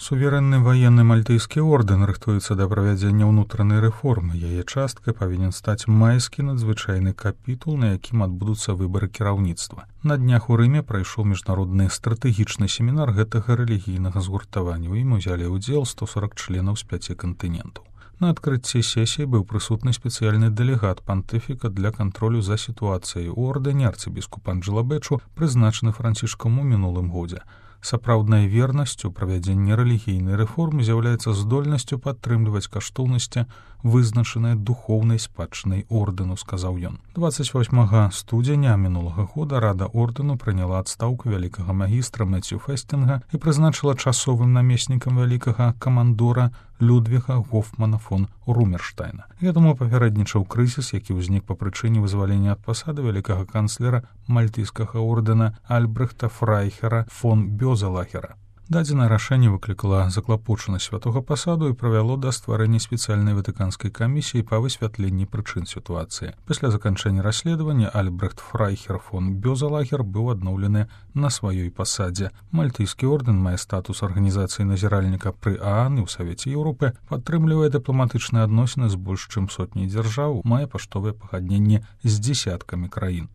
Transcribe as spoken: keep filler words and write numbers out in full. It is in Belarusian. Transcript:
Суверэнны ваенны мальтыйскі ордэн рыхтуецца да правядзення ўнутранай рэформы. Яе часткай павінен стаць майскі надзвычайны капітул, на якім адбудуцца выбары кіраўніцтва. На днях у Рыме прайшоў міжнародны стратэгічны семінар гэтага рэлігійнага згуртавання. У ім узялі ўдзел сто сорок членаў з пяці кантынентаў. На адкрыцці сесіі быў прысутны спецыяльны дэлегат пантыфіка для кантролю за сітуацыяй у ордэне арцыбіскуп Анджела Бэчу, прызначаны Францішкам у мінулым годзе. Сапраўднай вернасцю правядзення рэлігійнай рэформы з'яўляецца здольнасцю падтрымліваць каштоўнасці, вызначаныя духоўнай спадчынай ордэну, сказаў ён. дваццаць восьмага студзеня мінулага года Рада ордэну прыняла адстаўку вялікага магістра Мэцю Фэстинга і прызначыла часовым намеснікам вялікага камандора Людвіга Гофмана фон Румерштайна. Гэтаму папярэднічаў крызіс, які ўзнік па прычыне вызвалення ад пасады вялікага канцлера мальтыйскага ордэна Альбрэхта Фрайхера фон Бёзелахера. Дадзенае рашэнне выклікала заклапочанасць святога пасаду і правяло да стварэння спецыяльнай ватыканскай камісіі па высвятленні прычын сітуацыі. Пасля заканчэння расследавання Альбрэхт Фрайхер фон Бёзелахер быў адноўлены на сваёй пасадзе. Мальтыйскі ордэн мае статус арганізацыі назіральніка пры ААН і ў Савеце Еўропы, падтрымлівае дыпламатычныя адносіны з больш чым сотняй дзяржаў, мае паштовыя пагадненні з дзесяткамі краін.